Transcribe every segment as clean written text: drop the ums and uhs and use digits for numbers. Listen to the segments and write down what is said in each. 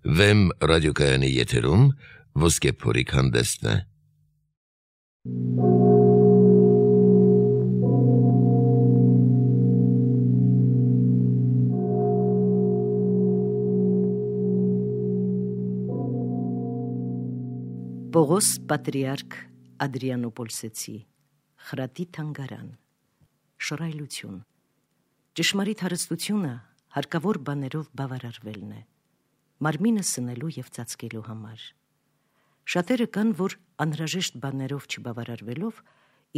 Վեմ ռադիոկայանի եթերում ոսկե փորիկ հանդեսն է։ Պողոս պատրիարք Ադրիանոպոլսեցի, խրատի թանգարան, շռայլություն, ճշմարիտ հարստությունը հարկավոր բաներով բավարարվելն է, մարմինը սնելու և ծածկելու համար։ Շատերը կան, որ անհրաժեշտ բաներով չբավարարվելով,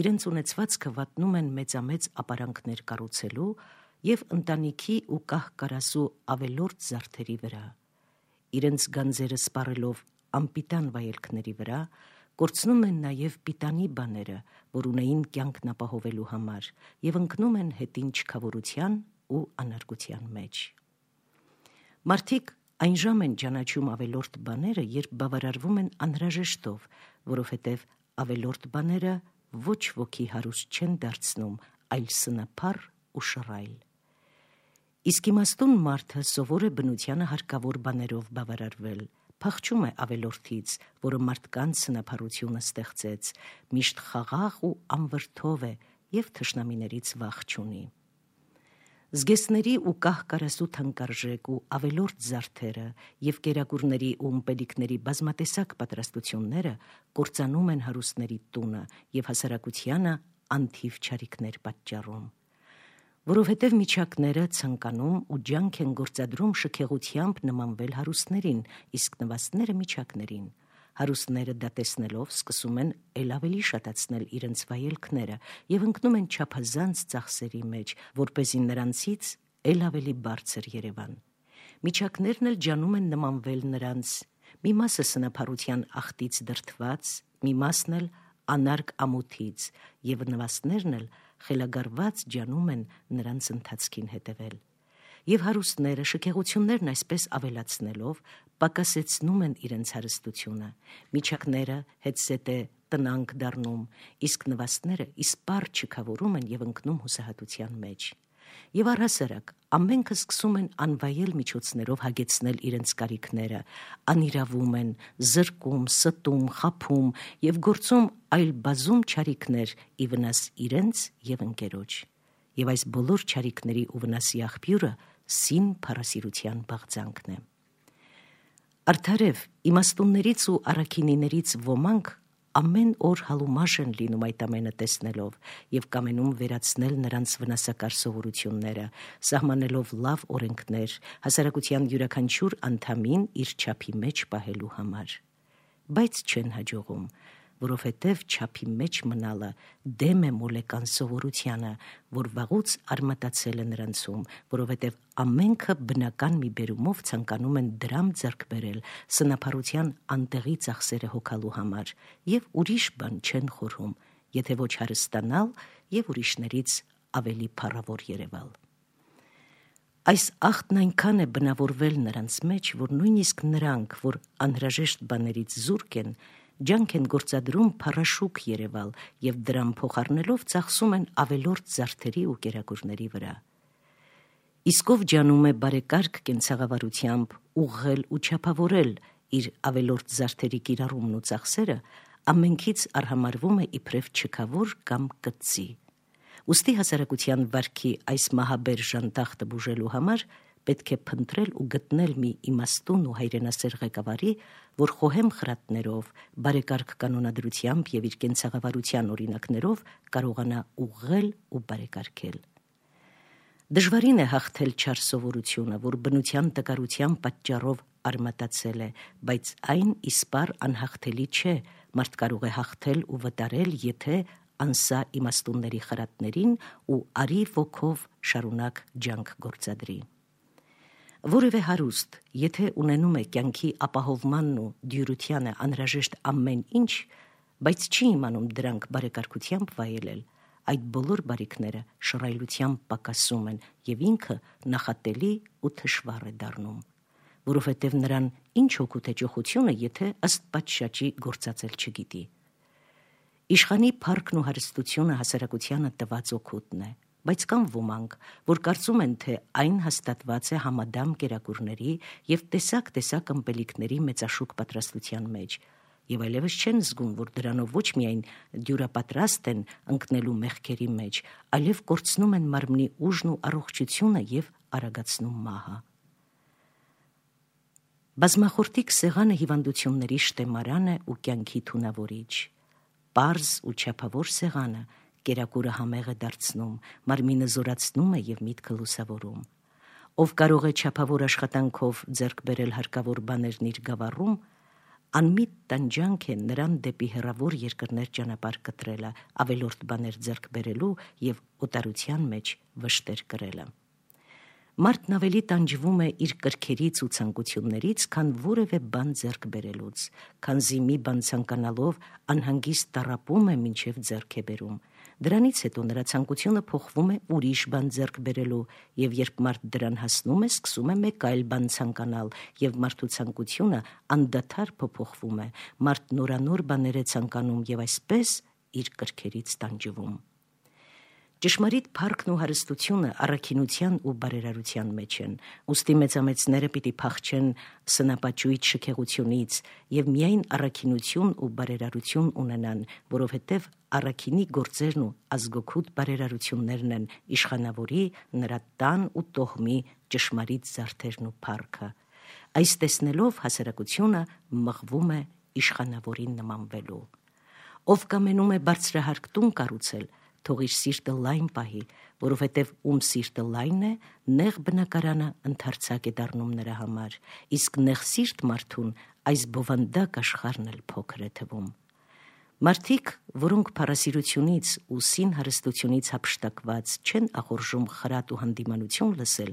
իրենց ունեցվածքը վատնում են մեծամեծ ապարանքներ կառուցելու և ընտանիքի ու կահ-կարասու ավելորդ զարդերի վրա, իրենց գանձերը սպառելով անպիտան վայելքների վրա, կորցնում են նաև պիտանի բաները, որ ունեին կյանքն ապահովելու համար, և ընկնում են հետին չքավորության ու անարգության մեջ։ Մարդիկ այն ժամ են ճանաչում ավելորդ բաները, երբ բավարարվում են անհրաժեշտով, որովհետև ավելորդ բաները ոչ ոքի հարուստ չեն դարձնում, այլ սնափառ ու շռայլ։ Իսկ իմաստուն մարդը սովոր է բնությանը հարկավոր բաներով բավարարվել, փախչում է ավելորդից, որը մարդկանց սնափառությունը ստեղծեց, միշտ խաղաղ ու անվրդով է և թշնամիներից վախ չունի։ Զգեստների ու կահ-կարասու թանկարժեք ու ավելորդ զարդերը և կերակուրների ու ըմպելիքների բազմատեսակ պատրաստությունները կործանում են հարուստների տունը և հասարակությանը անթիվ չարիքներ պատճառում։ Որովհետև միջակները ցանկանում ու ջանք են գործադրում շքեղությամբ նմանվել հարուստներին, իսկ նվաստները միջակներին։ Հարուստները դա տեսնելով սկսում են էլ ավելի շատացնել իրենց վայելքները և ընկնում են չափազանց ծախսերի մեջ, որպեսզի նրանցից էլ ավելի բարձր երևան։ Միջակներն էլ ջանում են նմանվել նրանց, մի մասը սնափառության ախտից դրդված, մի մասն էլ անարգ ամոթից, և նվաստներն էլ խելագարված ջանում են նրանց ընթացքին հետևել։ Եվ հարուստները շքեղություններն այսպես ավելացնելով պակասեցնում են իրենց հարստությունը, միջակները հետզհետե տնանկ դառնում, իսկ նվաստները իսպառ չքավորում են և ընկնում հուսահատության մեջ։ Եվ առհասարակ ամենքը սկսում են անվայել միջոցներով հագեցնել իրենց կարիքները, անիրավում են, զրկում, ստում, խաբում և գործում այլ բազում չարիքներ ի վնաս իրենց և ընկերոջ։ Եվ այս բոլոր չարիքների ու վնասի աղբյուրը սին փառասիրության բաղձանքն է։ Արդարև իմաստուններից ու առաքինիներից ոմանք ամեն օր հալումաշ են լինում այդ ամենը տեսնելով և կամենում վերացնել նրանց վնասակար սովորությունները, սահմանելով լավ օրենքներ, հասարակության յուրաքանչյուր անդամին իր չափի մեջ պահելու համար։ Բայց չեն հաջողում, որովհետև չափի մեջ մնալը դեմ է մոլեկան սովորությանը, որ վաղուց արմատացել է նրանցում, որովհետև ամենքը բնական մի բերումով ցանկանում են դրամ ձեռք բերել սնափառության անտեղի ծախսերը հոգալու համար և ուրիշ բան չեն խորհում, եթե ոչ հարստանալ և ուրիշներից ավելի փառավոր երևալ։ Այս ախտն այնքան է բնավորվել նրանց մեջ, որ նույնիսկ նրանք, որ անհրաժեշտ բաներից զուրկ են, ջանք են գործադրում փառաշուք երևալ և դրամ փոխառնելով ծախսում են ավելորդ զարդերի ու կերակուրների վրա։ Իսկ ով ջանում է բարեկարգ կենցաղավարությամբ ուղղել ու չափավորել իր ավելորդ զարդերի կիրառումն ու ծախսերը, ամենքից արհամարվում է իբրև չքավոր կամ կծի։ Ուստի հասարակության վարքի այս մահաբեր ժանտախտը բուժելու համար պետք է փնտրել ու գտնել մի իմաստուն ու հայրենասեր ղեկավարի, որ խոհեմ խրատներով, բարեկարգ կանոնադրությամբ և իր կենցաղավարության օրինակներով կարողանա ուղղել ու բարեկարգել։ Դժվարին է հաղթել չար սովորությունը, որ բնության տկարության պատճառով արմատացել է, բայց այն իսպառ անհաղթելի չէ, մարդ կարող է հաղթել ու վտարել, եթե անսա իմաստունների խրատներին ու արի ոգով շարունակ ջանք գործադրի։ Որևէ հարուստ, եթե ունենում է կյանքի ապահովմանն ու դյուրությանը անհրաժեշտ ամեն ինչ, բայց չի իմանում դրանք բարեկարգությամբ վայելել, այդ բոլոր բարիքները շռայլությամբ պակասում են և ինքը նախատելի ու թշվառ է դառնում, որովհետև նրան ինչ օգուտ է ճոխությունը, եթե ըստ պատշաճի գործածել չգիտի։ Իշխանի փառքն ու հարստությունը հասարակությանը տված օգուտն է, բայց կան ոմանք, որ կարծում են, թե այն հաստատված է համադամ կերակուրների և տեսակ ըմպելիքների մեծաշուկ պատրաստության մեջ, և այլևս չեն զգում, որ դրանով ոչ միայն դյուրապատրաստ են ընկնելու մեղքերի մեջ, այլև կորցնում են մարմնի ուժն ու առողջությունը և արագացնում մահը։ Բազմախորտիկ սեղանը հիվանդությունների շտեմարան է ու կյանքի թունավորիչ։ Պարզ ու չափավոր սեղանը կերակուրը համեղ է դարձնում, մարմինը զորացնում է և միտքը լուսավորում։ Ով կարող է չափավոր աշխատանքով ձեռք բերել հարկավոր բաներն իր գավառում, անմիտ տանջանք է նրան դեպի հեռավոր երկրներ ճանապարհ կտրելը, ավելորդ բաներ ձեռք բերելու և օտարության մեջ վշտեր կրելը։ Մարդն ավելի տանջվում է իր կրքերից ու ցանկություններից, քան որևէ բան ձեռք բերելուց, քանզի մի բան ցանկանալով անհանգիստ տառապում է, մինչև ձեռք է բերում։ Դրանից հետո նրա ցանկությունը փոխվում է ուրիշ բան ձեռք բերելու, և երբ մարդ դրան հասնում է, սկսում է մեկ այլ բան ցանկանալ, և մարդու ցանկությունը անդադար փոփոխվում է, մարդ նորանոր բաներ է ցանկանում և այսպես իր կրքերից տանջվում։ Ճշմարիտ փառքն ու հարստությունը առաքինության ու բարերարության մեջ են, ուստի մեծամեծները պիտի փախչեն սնապաճույտ շքեղությունից և միայն առաքինություն ու բարերարություն ունենան, որովհետև առաքինի գործերն ու ազգօգուտ բարերարություններն են իշխանավորի, նրա տան ու տոհմի ճշմարիտ զարդերն ու փառքը։ Այս տեսնելով հասարակությունը մղվում է իշխանավորին նմանվելու։ Ով կամենում է բարձրահարկ տուն կառուցել, թող իր սիրտը լայն պահի, որովհետև ում սիրտը լայն է, նեղ բնակարանը ընդարձակ է դառնում նրա համար, իսկ նեղ սիրտ մարդուն այս բովանդակ աշխարհն էլ փոքր է թվում։ Մարդիկ, որոնք փառասիրությունից ու սին հարստությունից հափշտակված չեն ախորժում խրատ ու հանդիմանություն լսել,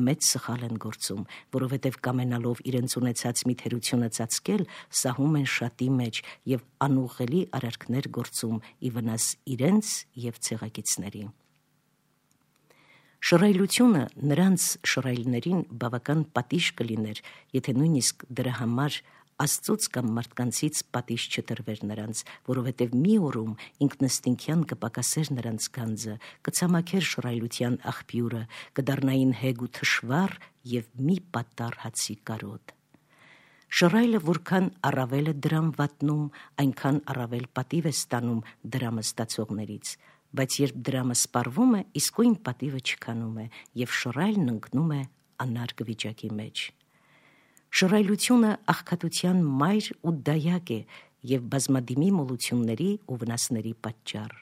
մեծ սխալ են գործում, որովհետև կամենալով իրենց ունեցած մի թերությունը ծածկել, սահում են շատի մեջ և անուղղելի արարքներ գործում ի վնաս իրենց և ցեղակիցների։ Շռայլությունը նրանց շռայլներին բավական պատիժ կլիներ, եթե նույնիսկ դրա համար Աստծուց կամ մարդկանցից պատիժ չտրվեր նրանց, որովհետև մի օրում ինքնըստինքյան կպակասեր նրանց գանձը, կցամաքեր շռայլության աղբյուրը, կդառնային հեգ ու թշվառ և մի պատառ հացի կարոտ։ Շռայլը որքան առավել է դրամ վատնում, այնքան առավել պատիվ է ստանում դրամը ստացողներից, բայց երբ դրամը սպառվում է, իսկույն պատիվը չքանում է, և շռայլն ընկնում է անարգ վիճակի մեջ։ Շռայլությունը աղքատության մայր ու դայակ է և բազմադիմի մոլությունների ու վնասների պատճառ։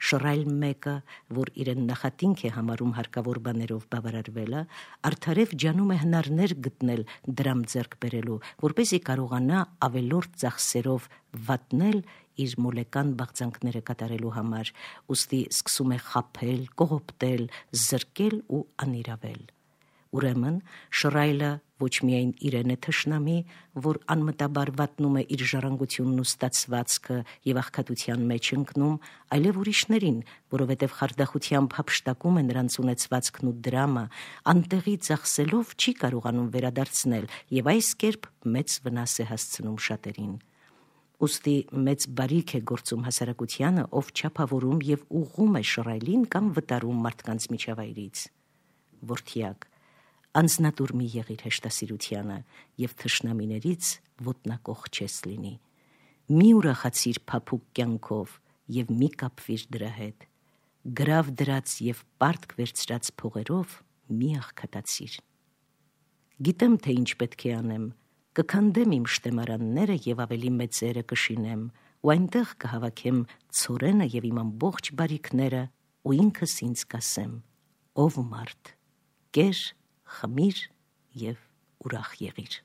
Շռայլ մեկը, որ իրեն նախատինք է համարում հարկավոր բաներով բավարարվելը, արդարև ջանում է հնարներ գտնել դրամ ձեռք բերելու, որպեսզի կարողանա ավելորդ ծախսերով վատնել իր մոլեկան բաղձանքները կատարելու համար, ուստի սկսում է խաբել, կողոպտել, զրկել ու անիրավել։ Ուրեմն շռայլը ոչ միայն իրեն է թշնամի, որ անմտաբար վատնում է իր ժառանգությունն ու ստացվածքը և աղքատության մեջ ընկնում, այլև ուրիշներին, որովհետև խարդախությամբ հափշտակում է նրանց ունեցվածքն ու դրամը, անտեղի ծախսելով չի կարողանում վերադարձնել և այս կերպ մեծ վնաս է հասցնում շատերին։ Ուստի մեծ բարիք է գործում հասարակությանը, ով չափավորում և ուղղում է շռայլին կամ վտարում մարդկանց միջավայրից։ Որդյակ, անձնատուր մի եղիր հեշտասիրությանը և թշնամիներից ոտնակող չես լինի։ Մի ուրախացիր փափուկ կյանքով և մի կապվիր դրա հետ։ Գրավ դրած և պարտք վերցրած փողերով մի աղքատացիր։ Գիտեմ, թե ինչ պետք է անեմ, կքանդեմ իմ շտեմարանները և ավելի մեծերը կշինեմ, ու այնտեղ կհավաքեմ ցորենը և իմ ամբողջ բարիքները, ու ինքս ինձ կասեմ. ով մարդ, կեր, խմիր և ուրախ եղիր։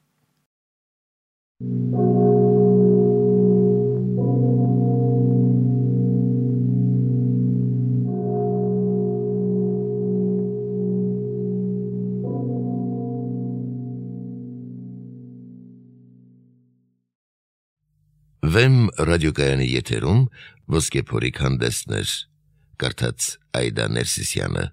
Վեմ ռադիոկայանի եթերում ոսկե փորիկ հանդեսներ, կարդաց Այդա Ներսիսյանը։